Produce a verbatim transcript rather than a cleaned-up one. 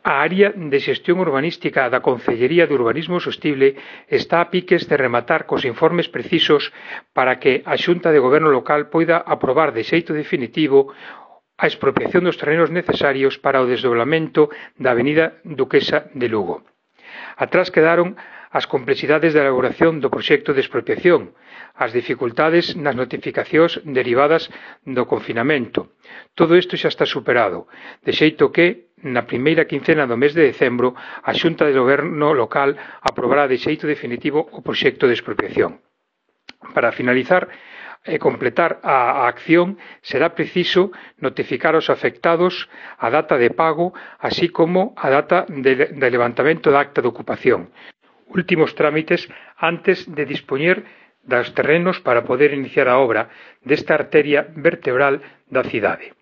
A área de xestión urbanística da Concellería de Urbanismo Sostible está a piques de rematar cos informes precisos para que a Xunta de Goberno local poida aprobar de xeito definitivo a expropiación dos terrenos necesarios para o desdoblamento da avenida Duquesa de Lugo. Atrás quedaron as complexidades da elaboración do proxecto de expropiación, as dificultades nas notificacións derivadas do confinamento. Todo isto xa está superado, de xeito que, na primeira quincena do mes de decembro, a Xunta de Goberno local aprobará de xeito definitivo o proxecto de expropiación. Para finalizar e completar a acción, será preciso notificar aos afectados a data de pago, así como a data de, de levantamento da acta de ocupación. Últimos trámites antes de dispoñer dos terrenos para poder iniciar a obra desta arteria vertebral da cidade.